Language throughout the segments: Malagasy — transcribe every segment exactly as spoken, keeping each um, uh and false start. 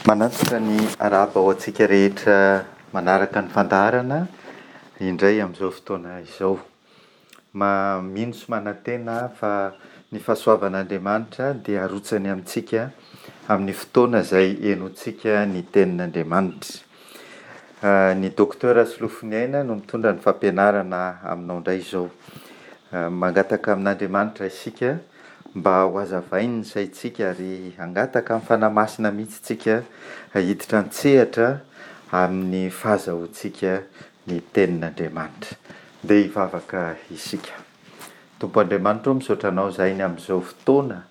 Manantitra ny arahaba ho antsika rehetra manaraka ny fandaharana indray amin'izao fotoana izao. Ma- mino sy manantena aho fa ny fahasoavan'Andriamanitra dia harotsany amintsika amin'ny fotoana izay henointsika ny tenin'Andriamanitra. Ny Docteur Solofoniaina no mitondra ny fampianarana aminao indray izao. Mangataka amin'Andriamanitra isika mba ho hazavainy ny saintsika ary hangataka amin'ny Fanahy Masina mihitsy tsika hiditra an-tsehatra amin'ny fahazahoantsika ny tenin'Andriamanitra. Ndeha hivavaka isika. Tompo Andriamanitra ô, misaotra anao izahay ny amin'izao fotoana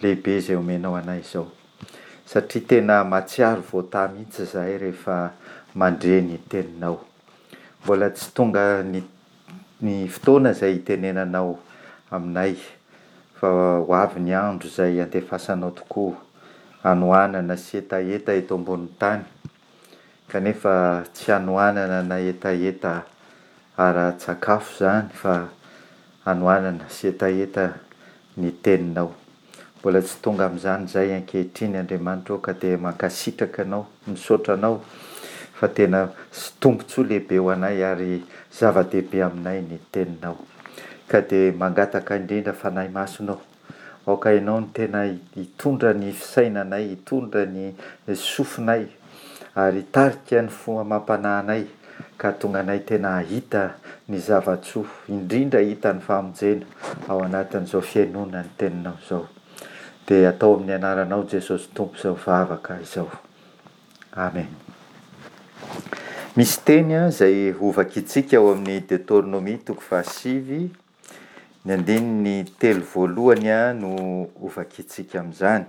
lehibe izay omenao anay izao. Satria tena mahatsiaro voatahy mihitsy izahay rehefa mandre ny teninao. Mbola tsy tonga ny ny fotoana izay hitenenanao aminay fa ho avy ny andro izay handefasanao tokoa hanoanana sy hetaheta eto ambonin'ny tany, kanefa tsy hanoanana na hetaheta ara-tsakafo izany fa hanoanana sy hetaheta ny teninao. Mbola tsy tonga amin'izany izahay ankehitriny Andriamanitra ô, ka dia mankasitraka Anao, misaotra Anao fa tena tombontsoa lehibe ho anay ary zava-dehibe aminay ny teninao. Ka dia mangataka indrindra Fanahy Masina ô, aoka Ianao no tena hitondra ny fisainanay, hitondra ny sofinay ary hitarika ny fo amam-panahinay ka hahatonga anay tena hahita ny zava-tsoa, indrindra hahita ny famonjena ao anatin'izao fihainoana ny teninao izao. Dia atao amin'ny anaranao Jesosy Tompo izao vavaka izao. Amen. Misy teny izay hovakintsika ao amin'ny Deoteronomia toko fahasivy, ny andininy telo voalohany no hovakintsika amin'izany.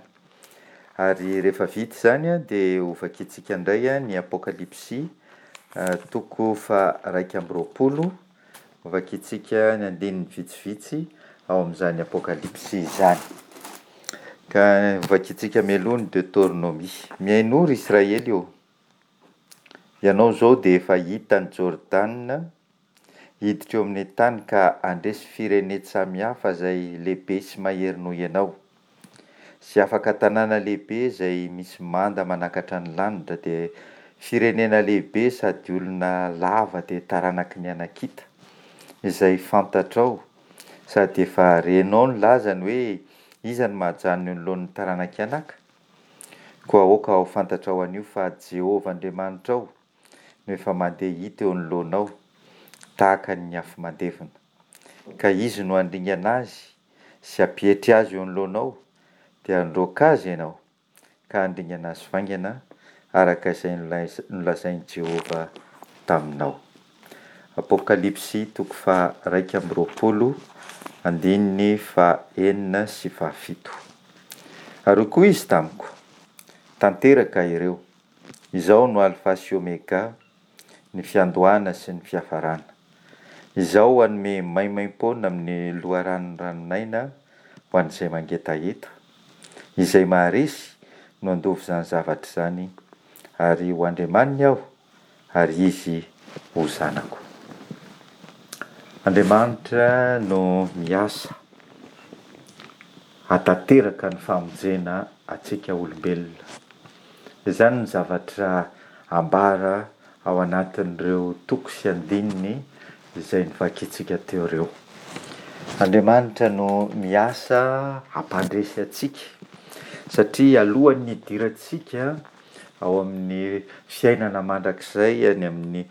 Ary rehefa vita izany dia hovakintsika indray ny Apokalypsy toko faha-iraika amby roapolo, hovakintsika ny andininy vitsivitsy ao amin'izany Apokalypsy izany. Ka hovakintsika mialoha ny Deoteronomia. Mihainoa ry Israely ô! Ianao izao dia efa hita an'i Jordana, hiditra eo amin'ny tany ka handresy firenen-tsamihafa izay lehibe sy mahery noho ianao, sy afaka tanàna lehibe izay misy manda manakatra ny lanitra, dia firenena lehibe sady olona lava dia taranaky ny Anakita, izay fantatrao sady efa renao ny lazany hoe, Iza no mahajanona eo anoloan'ny taranak'i Anaka? Koa aoka ho fantatrao anio fa Jehovah Andriamanitrao no efa mandeha hita eo anoloanao tahaka ny afo mandevona. Ka Izy no handringana azy sy hampietry azy eo anoloanao, dia handroaka azy ianao, ka handringana azy faingana, araka izay nolazain'i Jehovah taminao. Apokalypsy toko faha-iraika amby roapolo, andininy faha-enina sy fahafito. Ary hoy koa izy tamiko, Tanteraka ireo. Izaho no Alfa sy Omega, ny fiandohana sy ny fiafarana. Izaho hanome maimaimpoana amin'ny loharanon'ny ranon'aina ho an'izay mangetaheta. Izay maharesy no handova izany zavatra izany, ary ho Andriamaniny aho, ary izy ho zanako. Andriamanitra no miasa hahatanteraka ny famonjena antsika olombelona. Izany ny zavatra ambara ao anatin'ireo toko sy andininy izay novakintsika teo ireo. Andriamanitra no miasa hampandresy antsika, satria alohan'ny hidirantsika ao amin'ny fiainana mandrakizay any amin'ny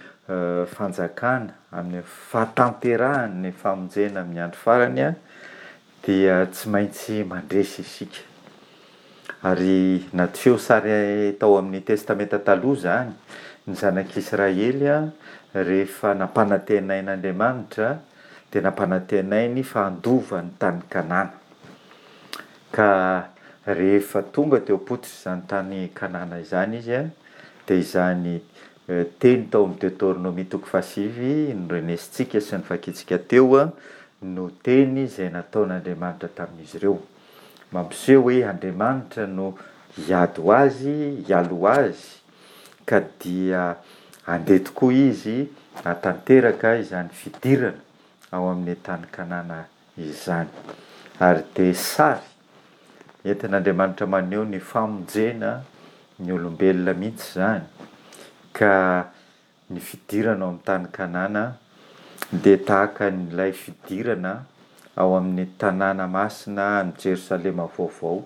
fanjakana, amin'ny fahatanterahan'ny famonjena amin'ny andro farany, dia tsy maintsy mandresy isika. Ary naseho sary tao amin'ny Testamenta Taloha izany, ny zanak'Israely rehefa nampanantenain'Andriamanitra dia nampanantenainy fa handova ny tany Kanana. Ka rehefa tonga teo am-pototr'izany tany Kanana izany izy dia izany teny tao amin'ny Deoteronomia toko fahasivy norenesintsika sy novakintsika teo no teny izay nataon'Andriamanitra tamin'izy ireo. Mampiseho hoe Andriamanitra no hiady ho azy, hialoha azy, ka dia handeha tokoa izy hahatanteraka izany fidirana ao amin'ny tany Kanana izany. Ary dia sary entin'Andriamanitra maneho ny famonjena ny olombelona mihitsy izany, ka ny fidirana ao amin'ny tany Kanana dia tahaka an'ilay fidirana ao amin'ny tanàna masina any Jerosalema vaovao,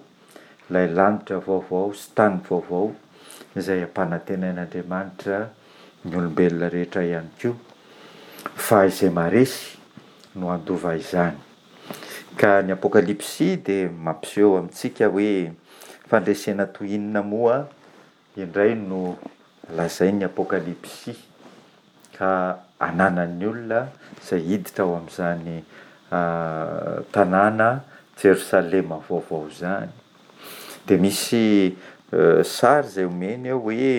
ilay lanitra vaovao sy tany vaovao izay ampanantenain'Andriamanitra ny olombelona rehetra ihany koa, fa izay maharesy no handova izany. Ka ny Apokalypsy dia mampiseho amintsika hoe fandresena toy inona moa indray no lazain'ny Apokalypsy ka ananan'ny olona izay hiditra ao amin'izany tanàna Jerosalema vaovao izany. Dia misy sary izay omeny eo hoe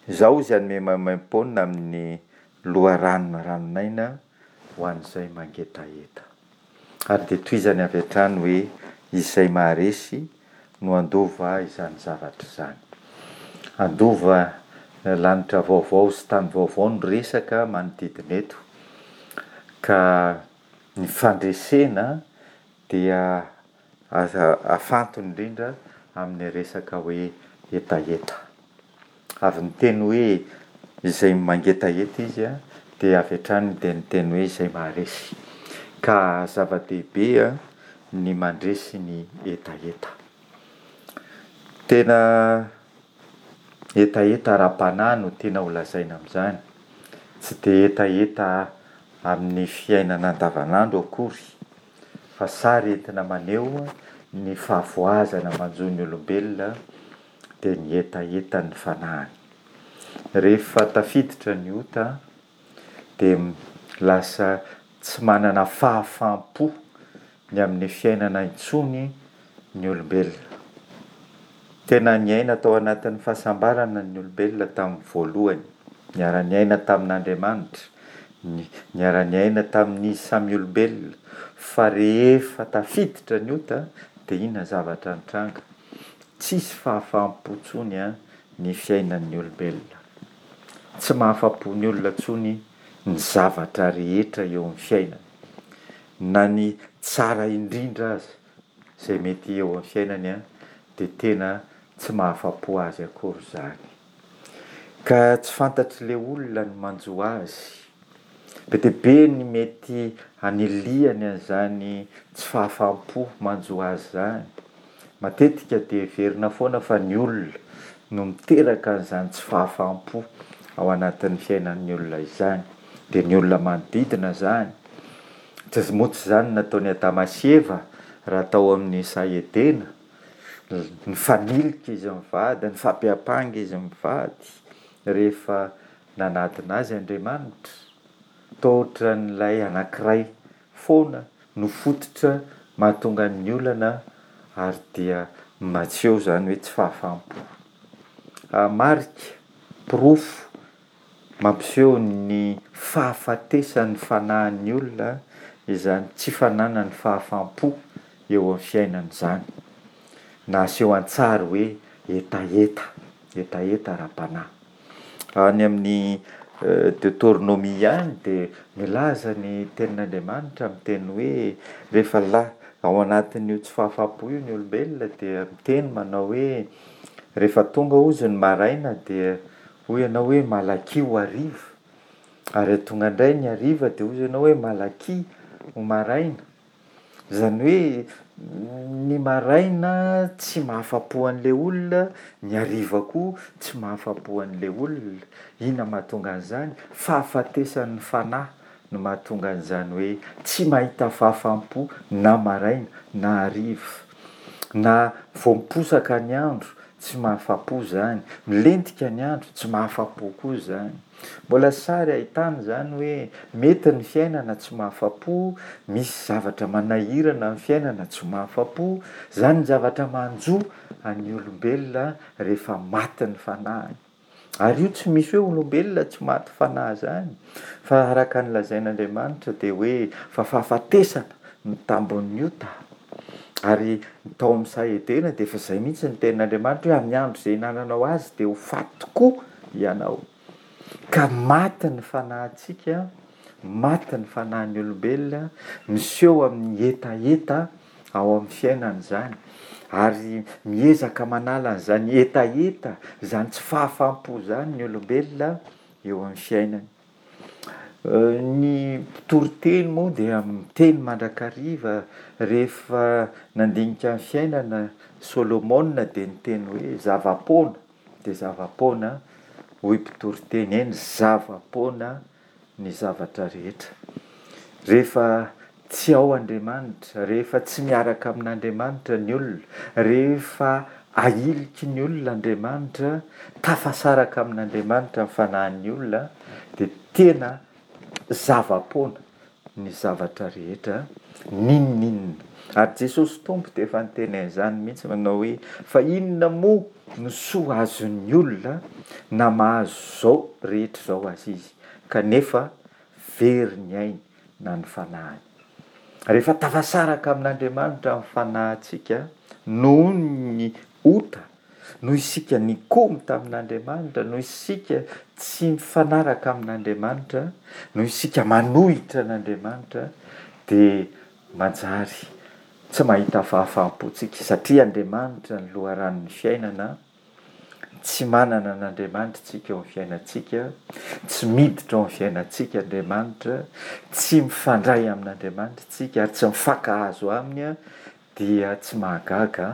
izaho izay hanome maimaimpoana amin'ny loharanon'ny ranon'aina ho an'izay mangetaheta. Ary dia tohizany avy hatrany hoe izay maharesy no handova izany zavatra izany. Handova lanitra vaovao sy tany vaovao no resaka manodidina eto. Ka ny fandresena dia afantony indrindra amin'ny resaka hoe hetaheta. Avy niteny hoe izay mangetaheta izy dia avy hatrany dia niteny hoe izay maharesy. Ka zava-dehibe ny mandresy ny hetaheta. Tena hetaheta ara-panahy no tiana ho lazaina amin'izany. Tsy dia hetaheta amin'ny fiainana andavanandro akory, fa sary entina maneho ny fahavoazana manjo ny olombelona dia ny hetahetan'ny fanahiny. Rehefa tafiditra ny ota dia lasa tsy manana fahafaham-po ny amin'ny fiainana intsony ny olombelona. Tena niaina tao anatin'ny fahasambarana ny olombelona tamin'ny voalohany. Niara-niaina tamin'Andriamanitra, niara-niaina tamin'izy samy olombelona. Fa rehefa tafiditra ny ota dia inona ny zavatra nitranga? Tsisy fahafaham-po intsony ny fiainan'ny olombelona. Tsy mahafa-po ny olona intsony ny zavatra rehetra eo amin'ny fiainany. Na ny tsara indrindra aza izay mety eo amin'ny fiainany dia tena tsy mahafa-po azy akory izany. Ka tsy fantatr'ilay olona ny manjo azy. Be dia be ny mety hanilihany an'izany tsy fahafaham-po manjo azy izany. Matetika dia heverina foana fa ny olona no miteraka an'izany tsy fahafaham-po ao anatin'ny fiainan'ny olona izany. Dia ny olona manodidina izany. Tsy moa tsy izany no nataon'i Adama sy Eva raha tao amin'ny saha Edena. Nifanilika izy mivady, nifampiampanga izy mivady rehefa nanadina azy Andriamanitra. Toa ohatran'ilay anankiray foana no fototra mahatonga ny olana ary dia maseho izany hoe tsy fahafaham-po. Marika, porofo mampiseho ny fahafatesan'ny fanahin'ny olona izany tsy fananany fahafaham-po eo amin'ny fiainany izany. Na aseho an-tsary hoe hetaheta, hetaheta ara-panahy. Any amin'ny Deoteronomia ihany dia milaza ny tenin'Andriamanitra miteny hoe rehefa la- ao anatin'io tsy fahafaham-po io ny olombelona dia miteny manao hoe rehefa tonga hozy ny maraina dia hoy ianao hoe malakia ho hariva, ary tonga indray ny hariva dia hoy ianao hoe malakia ho maraina. Izany hoe ny maraina tsy mahafa-po an'ilay olona, ny hariva koa tsy mahafa-po an'ilay olona. Inona mahatonga an'izany? Fahafatesan'ny fanahy no mahatonga an'izany hoe tsy mahita fahafaham-po na maraina na hariva. Na vao miposaka ny andro tsy mahafa-po izany, milentika ny andro tsy mahafa-po koa izany. Mbola sary ahitana izany hoe mety ny fiainana tsy mahafa-po, misy zavatra manahirana ny fiainana tsy mahafa-po. Izany ny zavatra manjo an'ny olombelona rehefa maty ny fanahiny. Ary io tsy misy hoe olombelona tsy maty fanahy izany, fa araka ny lazain'Andriamanitra dia hoe fa fahafatesana no tambin'ny ota. Ary tao amin'ny saha Edena dia efa izay mihitsy ny tenin'Andriamanitra hoe amin'ny andro izay hinananao azy dia ho faty tokoa ianao. Ka maty ny fanahintsika, maty ny fanahin'ny olombelona, miseho amin'ny hetaheta ao amin'ny fiainana izany. Ary miezaka manala an'izany hetaheta, izany tsy fahafaham-po izany ny olombelona eo amin'ny fiainany. Ny mpitoriteny moa dia miteny mandrakariva rehefa nandinika ny fiainana Solomona dia niteny hoe zava-poana dia zava-poana hoy mpitoriteny, eny zava-poana ny zavatra rehetra. Rehefa tsy ao Andriamanitra, rehefa tsy miaraka amin'Andriamanitra ny olona, rehefa ahiliky ny olona Andriamanitra, tafasaraka amin'Andriamanitra ny fanahin'ny olona dia tena zava-poana ny zavatra rehetra, n'inon'inona. Ary Jesosy Tompo dia efa niteny an'izany mihitsy manao hoe fa inona moa no soa azon'ny olona na mahazo izao rehetra izao aza izy, kanefa very ny ainy na ny fanahiny. Rehefa tafasaraka amin'Andriamanitra ny fanahintsika noho ny ota, noho isika nikomy tamin'Andriamanitra, noho isika tsy mifanaraka amin'Andriamanitra, noho isika manohitra an'Andriamanitra, dia manjary tsy mahita fahafaham-po tsika, satria Andriamanitra ny loharanon'ny fiainana. Tsy manana an'Andriamanitra isika eo amin'ny fiainantsika, tsy miditra ao amin'ny fiainantsika Andriamanitra, tsy mifandray amin'Andriamanitra isika ary tsy mifankahazo aminy, dia tsy mahagaga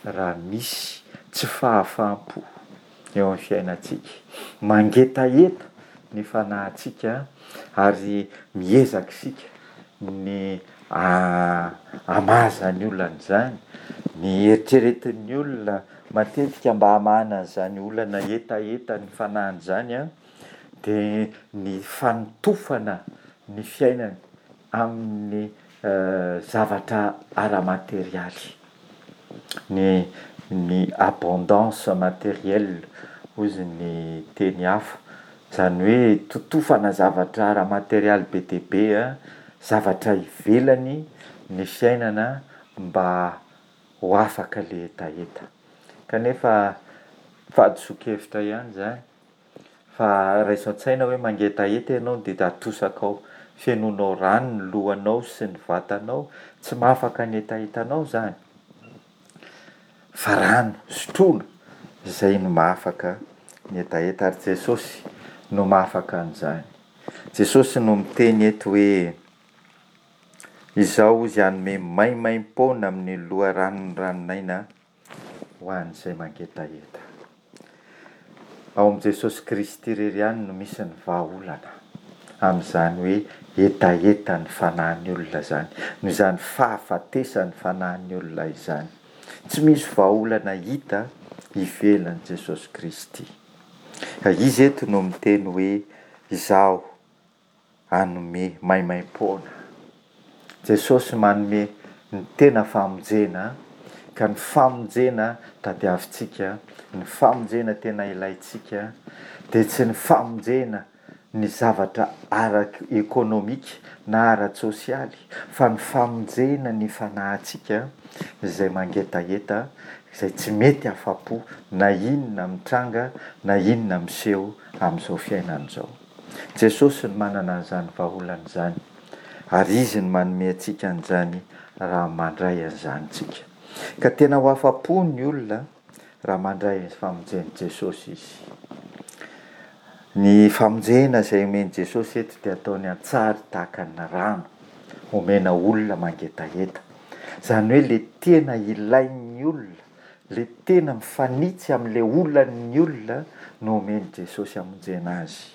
raha misy tsy fahafaham-po eo amin'ny fiainantsika. Mangetaheta ny fanahintsika ary miezaka isika ny hamaha izany olana izany, ny eritreretin'ny olona matetika mba hamahana an'izany olana hetahetan'ny fanahiny izany dia ny fanotofana ny fiainany amin'ny zavatra ara-materialy, ny ny abondance matérielle hozy ny teny hafa, izany hoe totofana zavatra ara-materialy be dia be, zavatra ivelany ny fiainana mba ho afaka ilay hetaheta. Kanefa fahadisoan-kevitra ihany izany, fa raiso an-tsaina hoe mangetaheta ianao dia atosakao, fenoinao rano ny lohanao sy ny vatanao, tsy mahafaka ny hetahetanao izany, fa rano sotroina izay no mahafaka ny hetaheta, ary Jesosy no mahafaka an'izany. Jesosy no miteny eto hoe, Izaho hozy hanome maimaim-poana amin'ny loharanon'ny ranon'aina ho an'izay mangetaheta. Ao amin'i Jesosy Kristy irery ihany no misy ny vahaolana amin'izany hoe hetahetan'ny fanahin'ny olona izany, noho izany fahafatesan'ny fanahin'ny olona izany. Tsy misy vahaolana hita ivelan'i Jesosy Kristy. Ka Izy eto no miteny hoe Izaho hanome maimaimpoana. Jesosy manome ny tena famonjena, ka ny famonjena tadiavintsika, ny famonjena tena ilaintsika dia tsy ny famonjena ny zavatra ara-ekonomika na ara-tsosialy, fa ny famonjena ny fanahintsika izay mangetaheta, izay tsy mety afa-po na inona mitranga na inona miseho amin'izao fiainana izao. Jesosy no manana an'izany vahaolana izany, ary Izy no manome antsika an'izany raha mandray an'izany tsika. Ka tena ho afa-po ny olona raha mandray ny famonjen'i Jesosy izy. Ny famonjena izay omen'i Jesosy eto dia ataony an-tsary tahaka ny rano omena olona mangetaheta. Izany hoe ilay tena ilain'ny olona, ilay tena mifanitsy amin'ilay olan'ny olona no omen'i Jesosy hamonjena azy.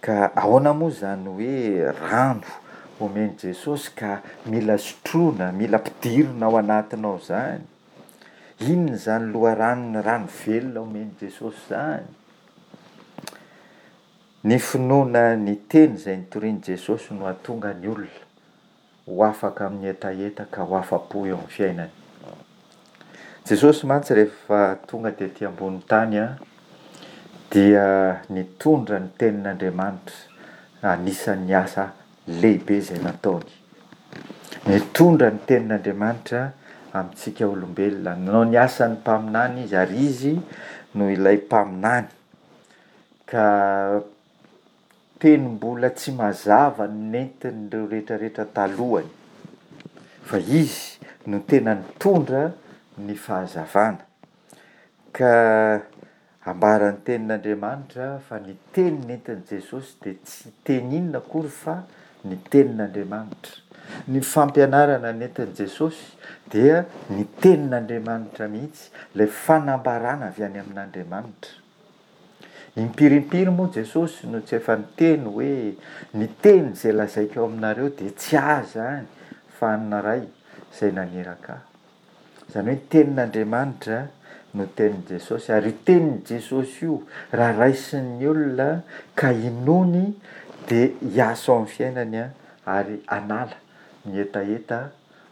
Ka ahoana moa izany hoe rano omen'i Jesosy ka mila sotroina, mila ampidirina ao anatinao izany? Inona izany loharanon'ny rano velona omen'i Jesosy izany? Ny finoana ny teny izay nitorian'i Jesosy no hahatonga ny olona ho afaka amin'ny hetaheta ka ho afa-po eo amin'ny fiainany. Jesosy mantsy rehefa tonga tety ambony tany dia nitondra ny tenin'Andriamanitra, anisan'ny asa lehibe izay nataony. Nitondra ny tenin'Andriamanitra amintsika olombelona, nanao ny asan'ny mpaminany izy, ary izy no ilay mpaminany. Ka teny mbola tsy mazava no nentin'ireo rehetrarehetra talohany, fa izy no tena nitondra ny fahazavana. Ka ambaran'ny tenin'Andriamanitra fa ny teny nentin'i Jesosy dia tsy teny inona akory fa ny tenin'Andriamanitra. Ny fampianarana nentin'i Jesosy dia ny tenin'Andriamanitra mihitsy, ilay fanambarana avy any amin'Andriamanitra. Impiry impiry moa Jesosy no tsy efa niteny hoe ny teny izay lazaiko aminareo dia tsy ahy izany fa an'ny Ray izay naniraka ahy. Izany hoe ny tenin'Andriamanitra no tenin'i Jesosy, ary io tenin'i Jesosy io raha raisin'ny olona ka inoany dia hiasa ao amin'ny fiainany ary hanala ny hetaheta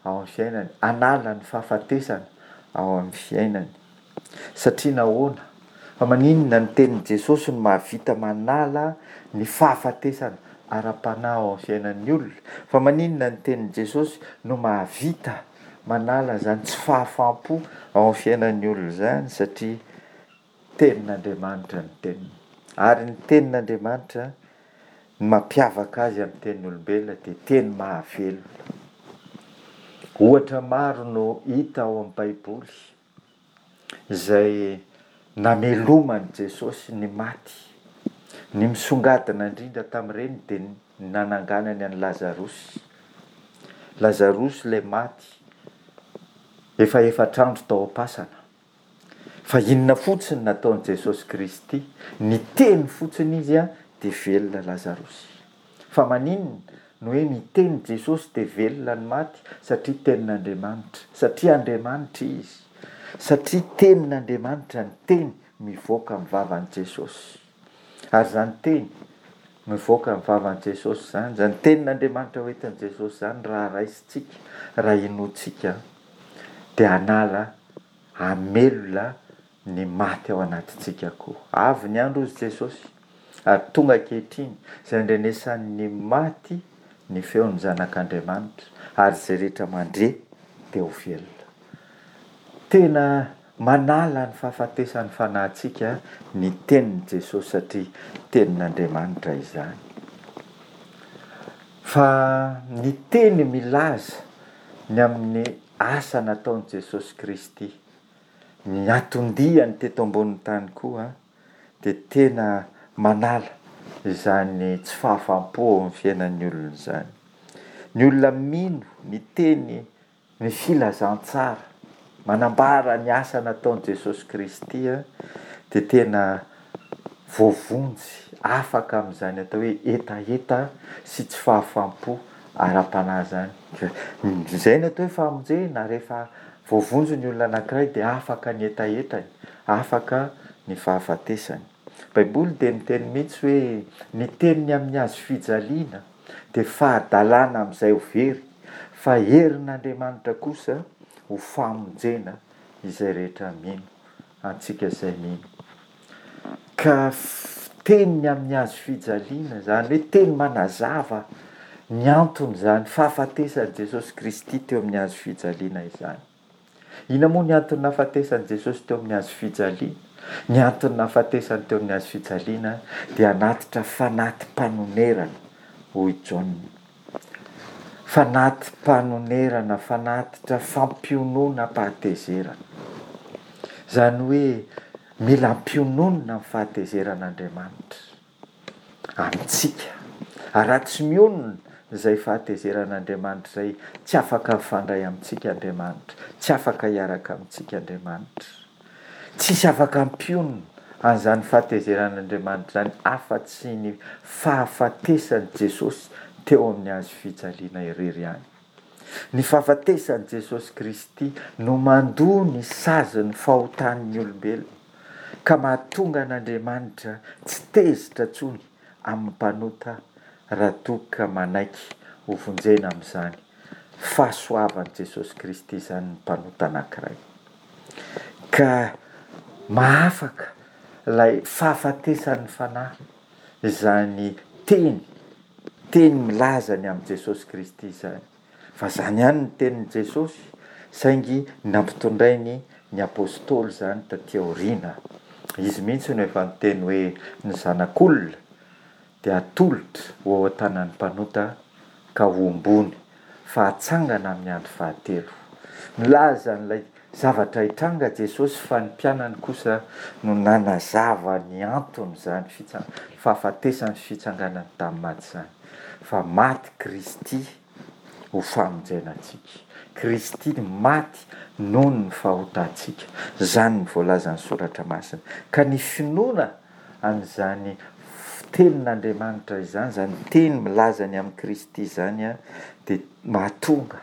ao amin'ny fiainany, hanala ny fahafatesana ao amin'ny fiainany. Satria nahoana? Fa maninona ny tenin'i Jesosy no mahavita manala ny fahafatesana ara-panahy ao amin'ny fiainan'ny olona? Fa maninona ny tenin'i Jesosy no mahavita manala izany tsy fahafaham-po ao amin'ny fiainan'ny olona izany? Satria tenin'Andriamanitra ny teniny. Ary ny tenin'Andriamanitra, ny mampiavaka azy amin'ny tenin'olombelona dia teny mahavelona. Ohatra maro no hita ao amin'ny Baiboly izay nameloman'i Jesosy ny maty. Ny misongadina indrindra tamin'ireny dia ny nananganany an'i Lazarosy. Lazarosy ilay maty efa efatra andro tao am-pasana. Fa inona fotsiny nataon'i Jesosy Kristy? Niteny fotsiny izy dia velona Lazarosy. Fa maninona no hoe miteny Jesosy dia velona ny maty? Satria tenin'Andriamanitra, satria Andriamanitra izy, satria tenin'Andriamanitra ny teny mivoaka amin'ny vavan'i Jesosy. Ary izany teny mivoaka amin'ny vavan'i Jesosy izany, izany tenin'Andriamanitra hoentin'i Jesosy izany, raha raisintsika, raha inoantsika, dia hanala, hamelona ny maty ao anatintsika koa. Avy ny andro hozy Jesosy, ary tonga ankehitriny izay andrenesan'ny maty ny feon'ny Zanak'Andriamanitra, ary izay rehetra mandre dia ho velona. Tena manala ny fahafatesan'ny fanahintsika ny tenin'i Jesosy, satria tenin'Andriamanitra izany. Fa ny teny milaza ny amin'ny asa nataon'i Jesosy Kristy, ny anton-diany teto ambonin'ny tany koa, dia tena manala izany tsy fahafaham-po ao amin'ny fiainan'ny olona izany. Ny olona mino ny teny, ny filazantsara, manambara ny asa nataon'i Jesosy Kristy dia tena voavonjy, afaka amin'izany atao hoe hetaheta sy tsy fahafaham-po ara-panahy izany. Izay no atao hoe famonjena, rehefa voavonjy ny olona anankiray dia afaka ny hetahetany, afaka ny fahafatesany. Baiboly dia miteny mihitsy hoe ny teniny amin'ny hazo fijaliana dia fahadalana amin'izay ho very, fa herin'Andriamanitra kosa ho famonjena izay rehetra mino, antsika izay mino. Ka teniny amin'ny hazo fijaliana, izany hoe teny manazava ny anton'izany fahafatesan'i Jesosy Kristy teo amin'ny hazo fijaliana izany. Inona moa ny antony nahafatesan'i Jesosy teo amin'ny hazo fijaliana? Ny antony nahafatesany teo amin'ny hazo fijaliana dia hanatitra fanati-panonerana, hoy Jaona. Fanati-panonerana, fanatitra fampiononam-pahatezerana. Izany hoe mila ampiononina amin'ny fahatezeran'Andriamanitra amintsika. Ary raha tsy mionona izay fahatezeran'Andriamanitra izay, tsy afaka mifandray amintsika Andriamanitra, tsy afaka hiaraka amintsika Andriamanitra. Tsisy afaka hampionona an'izany fahatezeran'Andriamanitra izany afa-tsy ny fahafatesan'i Jesosy teo amin'ny hazo fijaliana irery ihany. Ny fahafatesan'i Jesosy Kristy no mandoa ny sazin'ny fahotan'ny olombelona, ka mahatonga an'Andriamanitra tsy tezitra intsony amin'ny mpanota raha toa ka manaiky ho vonjena amin'izany fahasoavan'i Jesosy Kristy izany ny mpanota anankiray. Ka mahafaka ilay fahafatesan'ny fanahy izany teny, teny milaza ny amin'i Jesosy Kristy izany. Fa izany ihany ny tenin'i Jesosy, saingy nampitondrainy ny apostoly izany taty aoriana. Izy mihitsy no efa niteny hoe ny zanak'olona dia atolotra ho ao an-tanan'ny mpanota ka hombony, fa hatsangana amin'ny andro fahatelo. Milaza an'ilay zavatra hitranga Jesosy fa ny mpianany kosa no nanazava ny anton'izany fitsa- fahafatesany sy fitsanganany tamin'ny maty izany. Fa maty Kristy ho famonjena antsika. Kristy maty noho ny fahotantsika. Izany no voalazan'ny Soratra Masina. Ka ny finoana an'izany tenin'Andriamanitra izany, izany teny milaza ny amin'i Kristy izany, dia mahatonga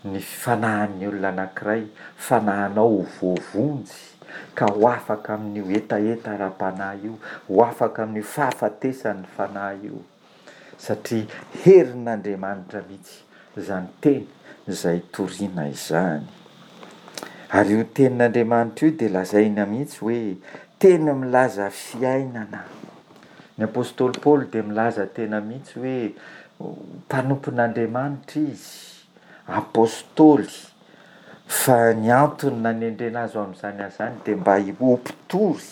ny fanahin'ny olona anankiray, fanahinao ho voavonjy, ka ho afaka amin'io hetaheta ara-panahy io, ho afaka amin'io fahafatesan'ny fanahy io, satria herin'Andriamanitra mihitsy izany teny izay toriana izany. Ary io tenin'Andriamanitra io dia lazaina mihitsy hoe teny milaza fiainana. Ny apostoly Paoly dia milaza tena mihitsy hoe mpanompon'Andriamanitra izy, apostoly, fa ny antony nanendrena azy ho amin'izany asa izany dia mba ho mpitory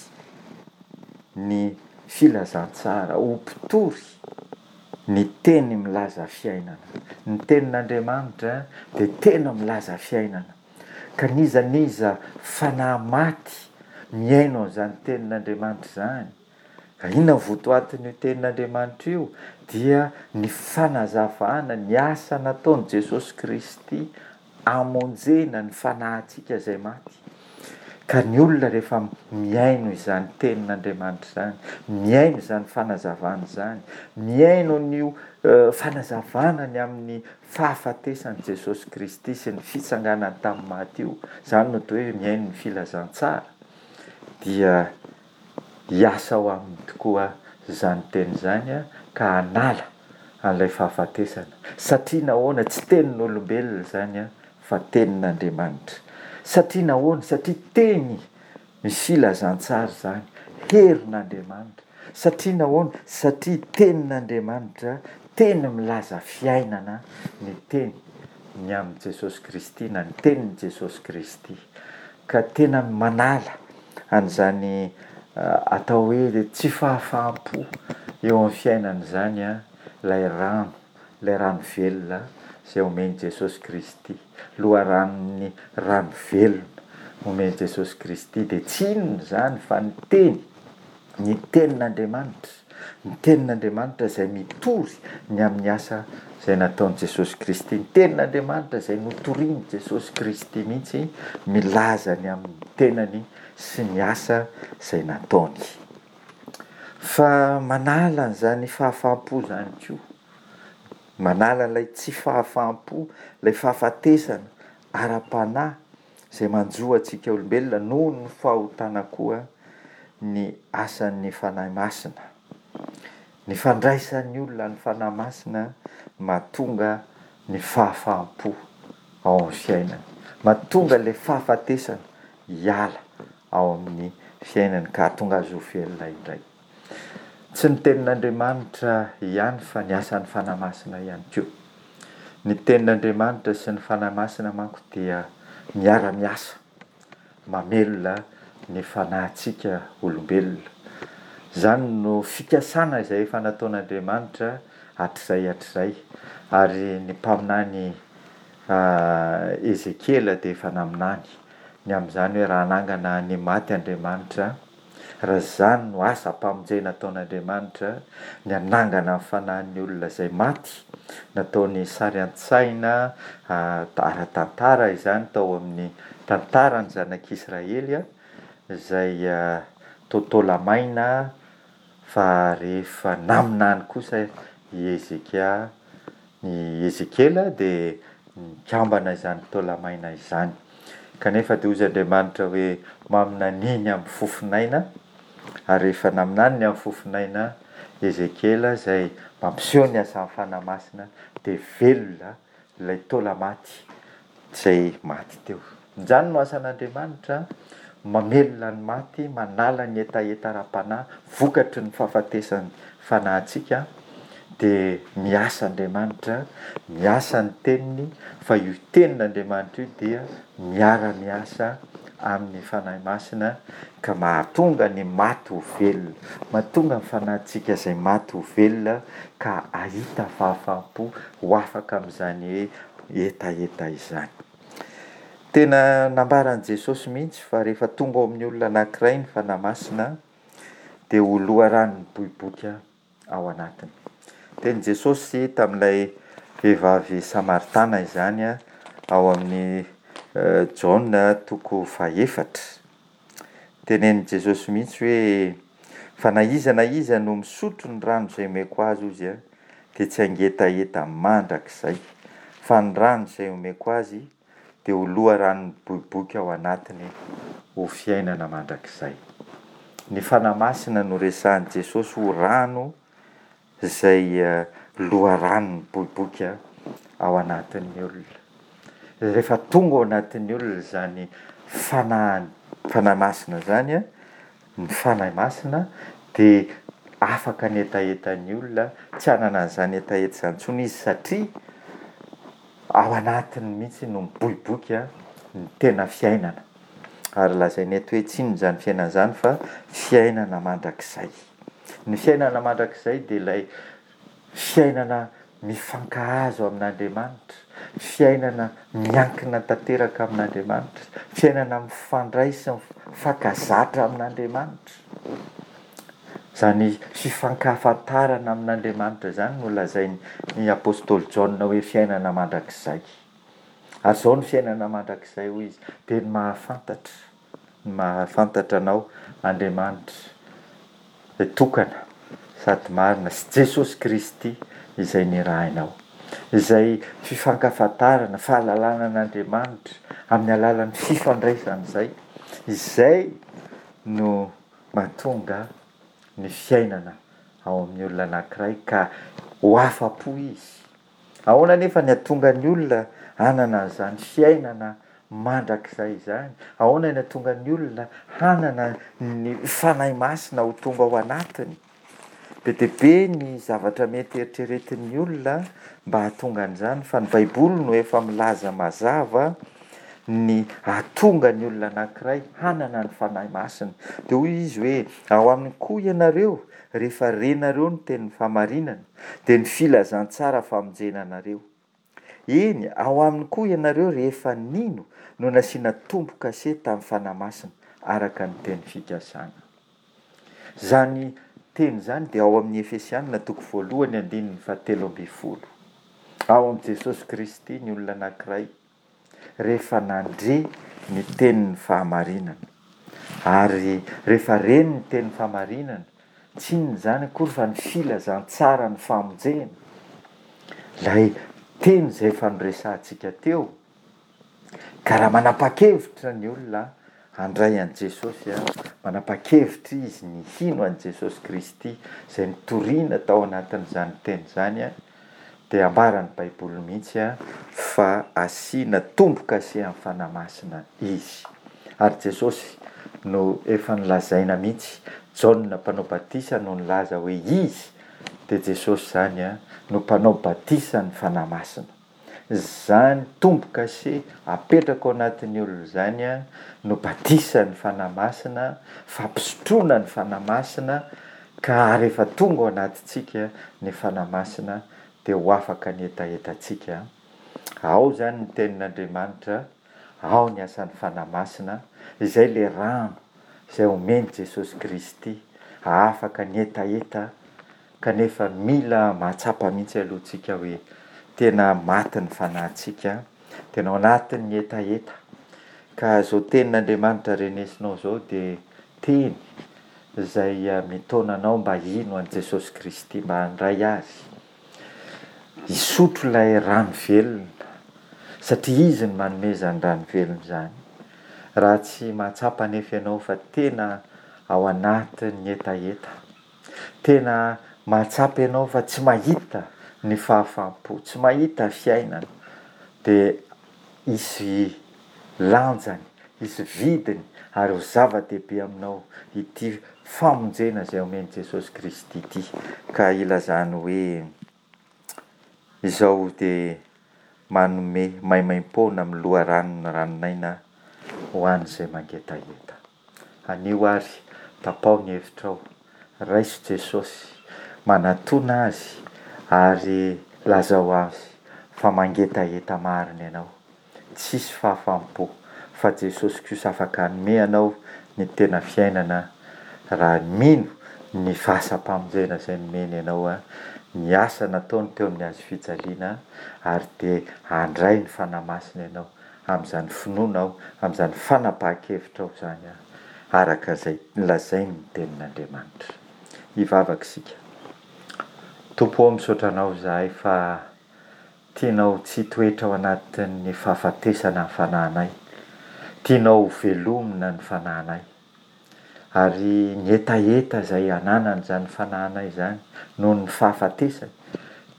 ny filazantsara, ho mpitory ny teny milaza fiainana. Ny tenin'Andriamanitra dia tena milaza fiainana. Ka n'iza n'iza fanahy maty mihaino an'izany tenin'Andriamanitra izany, ka inona ny votoatin'io tenin'Andriamanitra io? Dia ny fanazavana ny asa nataon'i Jesosy Kristy hamonjena ny fanahintsika izay maty. Ka ny olona rehefa mihaino izany tenin'Andriamanitra izany, mihaino izany fanazavana izany, mihaino an'io fanazavana ny amin'ny fahafatesan'i Jesosy Kristy sy ny fitsanganany tamin'ny maty io, izany no atao hoe mihaino ny filazantsara, dia hiasa ao aminy tokoa izany teny izany ka hanala an'ilay fahafatesana. Satria nahoana? Tsy tenin'olombelona izany fa tenin'Andriamanitra. Satria nahoana? Satria teny ny filazantsara izany, herin'Andriamanitra. Satria nahoana? Satria tenin'Andriamanitra, teny milaza fiainana ny teny ny amin'i Jesosy Kristy na ny tenin'i Jesosy Kristy. Ka tena manala an'izany atao hoe tsy fahafaham-po eo amin'ny fiainana izany ilay rano, ilay rano velona izay omen'i Jesosy Kristy. Loharanon'ny rano velona omen'i Jesosy Kristy dia tsy inona izany fa ny teny, ny tenin'Andriamanitra, ny tenin'Andriamanitra izay mitory ny amin'ny asa izay nataon'i Jesosy Kristy, ny tenin'Andriamanitra izay notorian'i Jesosy Kristy mihitsy milaza ny amin'ny tenany sy ny asa izay nataony. Fa manala an'izany fahafaham-po izany koa, manala ilay tsy fahafaham-po, ilay fahafatesana ara-panahy izay manjo antsika olombelona noho ny fahotana koa ny asan'ny Fanahy Masina. Ny fandraisan'ny olona ny Fanahy Masina mahatonga ny fahafaham-po ao amin'ny fiainany, mahatonga ilay fahafatesana hiala ao amin'ny fiainany ka hahatonga azy ho velona indray. Tsy ny tenin'Andriamanitra ihany fa ny asan'ny Fanahy Masina ihany koa. Ny tenin'Andriamanitra sy ny Fanahy Masina manko dia miara-miasa, mamelona ny fanahintsika olombelona. Izany no fikasana izay efa nataon'Andriamanitra hatrizay hatrizay, ary ny mpaminany Ezekiela dia efa naminany ny amin'izany hoe raha hanangana ny maty Andriamanitra, raha izany no asam-pamonjena ataon'Andriamanitra, ny hanangana ny fanahin'ny olona izay maty, nataony sary an-tsaina ara-tantara izany tao amin'ny tantaran'ny zanak'Israely izay totola-maina, fa rehefa naminany kosa i Ezekia, i Ezekiela dia nikambana izany taola-maina izany. Kanefa dia hoy Andriamanitra hoe maminania ny amin'ny fofonaina, ary rehefa naminany ny amin'ny fofonaina Ezekiela izay mampiseho ny asan'ny Fanahy Masina dia velona ilay taola-maty izay maty teo. Izany no asan'Andriamanitra, mamelona ny maty, manala ny hetaheta ara-panahy vokatry ny fahafatesan'ny fanahintsika, dia miasa Andriamanitra, miasa ny teniny, fa io tenin'Andriamanitra io dia miara-miasa amin'ny Fanahy Masina ka mahatonga ny maty ho velona, mahatonga ny fanahintsika izay maty ho velona ka hahita fahafaham-po ho afaka amin'izany hoe hetaheta izany. Tena nambaran'i Jesosy mihitsy fa rehefa tonga ao amin'ny olona anankiray ny Fanahy Masina dia ho loharano miboiboika ao anatiny. Tenin'i Jesosy tamin'ilay vehivavy samaritana izany ao amin'ny Jaona toko fahefatra. Tenenin'i Jesosy mihitsy hoe fa na iza na iza no misotro ny rano izay omeko azy hozy dia tsy hangetaheta mandrakizay, fa ny rano izay omeko azy dia ho loharano miboiboika ao anatiny ho fiainana mandrakizay. Ny Fanahy Masina no resahin'i Jesosy ho rano izay loharano miboiboika ao anatin'ny olona. Rehefa tonga ao anatin'ny olona izany Fanahy, Fanahy Masina izany, ny Fanahy Masina dia afaka ny hetahetan'ny olona, tsy hanana an'izany hetaheta izany intsony izy satria ao anatiny mihitsy no miboiboika ny tena fiainana. Ary lazaina eto hoe tsy inona izany fiainana izany fa fiainana mandrakizay. Ny fiainana mandrakizay dia ilay fiainana mifankahazo amin'Andriamanitra, fiainana miankina tanteraka amin'Andriamanitra, fiainana mifandray sy mifankazatra amin'Andriamanitra. Izany fifankahafantarana amin'Andriamanitra izany no lazain'ny apostoly Jaona hoe fiainana mandrakizay. Ary izao ny fiainana mandrakizay hoy izy, dia ny mahafantatra, ny mahafantatra anao Andriamanitra izay tokana sady marina sy Jesosy Kristy izay nirahinao. Izay fifankafantarana, fahalalana an'Andriamanitra amin'ny alalan'ny fifandraisana izay, izay no mahatonga ny fiainana ao amin'ny olona anankiray ka ho afa-po izy. Ahoana anefa ny hahatonga ny olona hanana an'izany fiainana mandrakizay izany? Ahoana ny hahatonga ny olona hanana ny Fanahy Masina ho tonga ao anatiny? Be dia be ny zavatra mety eritreretin'ny olona mba hahatonga an'izany, fa ny Baiboly no efa milaza mazava ny hahatonga ny olona anankiray hanana ny Fanahy Masina. Dia hoy izy hoe, ao aminy koa ianareo, rehefa renareo ny tenin'ny fahamarinana, dia ny filazantsara famonjena anareo. Eny, ao aminy koa ianareo rehefa nino no nasiana tombo-kase tamin'ny Fanahy Masina, araka ny teny fikasana. Izany teny izany dia ao amin'ny Efesianina toko voalohany andininy fahatelo ambin'ny folo. Ao amin'i Jesosy Kristy ny olona anankiray rehefa nandre ny tenin'ny fahamarinana. Ary rehefa reny ny tenin'ny fahamarinana, tsy inona izany akory fa ny filazantsara ny famonjena. Ilay teny izay efa noresahantsika teo, ka raha manapa-kevitra ny olona handray an'i Jesosy, manapa-kevitra izy ny hino an'i Jesosy Kristy izay nitoriana tao anatin'izany teny izany, dia ambaran'ny Baiboly mihitsy fa asiana tombo-kase amin'ny Fanahy Masina izy. Ary Jesosy no efa nolazaina mihitsy, Jaona mpanao batisa no nilaza hoe izy, dia Jesosy izany no mpanao batisa ny Fanahy Masina. Izany tombo-kase apetraka ao anatin'ny olona izany no batisan'ny Fanahy Masina, fampisotroana ny Fanahy Masina, ka rehefa tonga ao anatintsika ny Fanahy Masina dia ho afaka ny hetahetantsika. Ao izany ny tenin'Andriamanitra, ao ny asan'ny Fanahy Masina, izay ilay rano izay omen'i Jesosy Kristy hahafaka ny hetaheta, kanefa mila mahatsapa mihitsy aloha tsika hoe tena maty ny fanahintsika, tena ao anatin'ny hetaheta. Ka izao tenin'Andriamanitra renesinao izao dia teny izay mitaona anao mba hino an'i Jesosy Kristy, mba handray azy, hisotro ilay rano velona, satria izy no manome izany rano velona izany. Raha tsy mahatsapa anefa ianao fa tena ao anatin'ny hetaheta, tena mahatsapa ianao fa tsy mahita ny fahafaham-po, tsy mahita fiainana, dia hisy lanjany, hisy vidiny ary ho zava-dehibe aminao ity famonjena izay omen'i Jesosy Kristy ity. Ka ilazany hoe izao dia manome maimaimpoana amin'ny loharanon'ny ranon'aina ho an'izay mangetaheta. Anio ary tapaho ny hevitrao, raiso Jesosy, manatona azy ary lazao azy fa mangetaheta marina ianao. Tsisy fahafaham-po fa Jesosy kosa afaka hanome anao ny tena fiainana raha mino ny fahasam-pamonjena izay nomeny anao, ny asa nataony teo amin'ny hazo fijaliana, ary dia handray ny Fanahy Masina ianao amin'izany finoanao, amin'izany fanapahan-kevitrao izany, araka izay lazain'ny tenin'Andriamanitra. Hivavaka isika. Tompo ô, misaotra Anao izahay fa tianao tsy hitoetra ao anatin'ny fahafatesana ny fanahinay. Tianao ho velomina ny fanahinay. Ary ny hetaheta izay ananan'izany fanahinay izany noho ny fahafatesany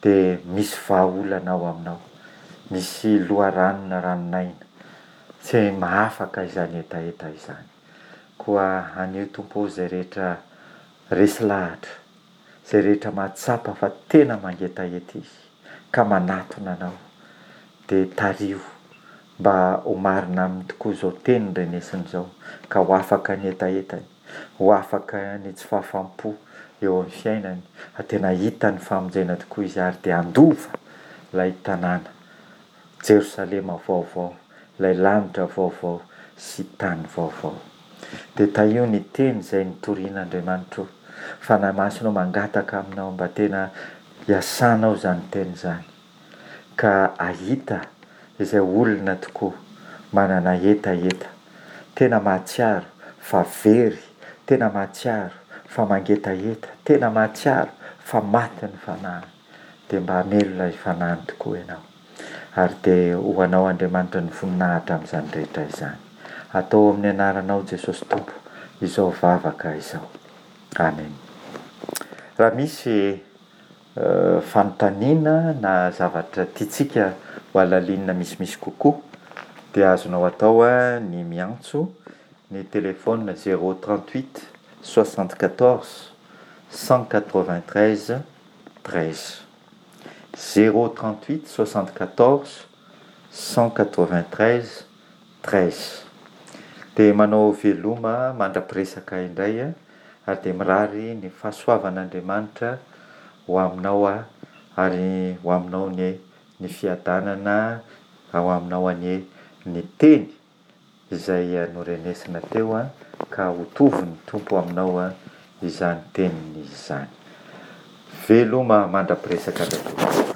dia misy vahaolana ao aminao. Misy loharanona ranon'aina tsy mahafaka izany hetaheta izany. Koa anio Tompo ô, izay rehetra resy lahatra, izay rehetra mahatsapa fa tena mangetaheta izy ka manatona Anao, dia tariho mba ho marina aminy tokoa izao teny renesiny izao, ka ho afaka ny hetahetany, ho afaka ny tsy fahafaham-po eo amin'ny fiainany, fa tena hahita ny famonjena tokoa izy ary dia handova ilay tanàna, Jerosalema vaovao, ilay lanitra vaovao sy tany vaovao. Dia tahio ny teny izay nitorian'Andriamanitra o. Fanahy Masina o, mangataka aminao mba tena hiasanao izany teny izany, ka hahita izay olona tokoa manana hetaheta, tena mahatsiaro fa very, tena mahatsiaro fa mangetaheta, tena mahatsiaro fa maty ny fanahiny, dia mba hamelona ny fanahiny tokoa ianao. Ary dia ho anao Andriamanitra ny voninahitra amin'izany rehetra izany. Atao amin'ny anaranao Jesosy Tompo izao vavaka izao. Amen. Raha misy fanontaniana na zavatra tiantsika ho halalinina misimisy kokoa dia azonao atao ny miantso ny téléphone zéro trente-huit soixante-quatorze cent quatre-vingt-treize treize. Zéro trente-huit soixante-quatorze cent quatre-vingt-treize treize. Dia manao veloma mandra-piresaka indray ary dia mirary ny fahasoavan'Andriamanitra ho aminao aho ary ho aminao anie ny fiadanana, ho aminao anie ny teny izay norenesina teo ka ho tovin'ny Tompo aminao izany teniny izany. Veloma mandra-piresaka indray tompoko.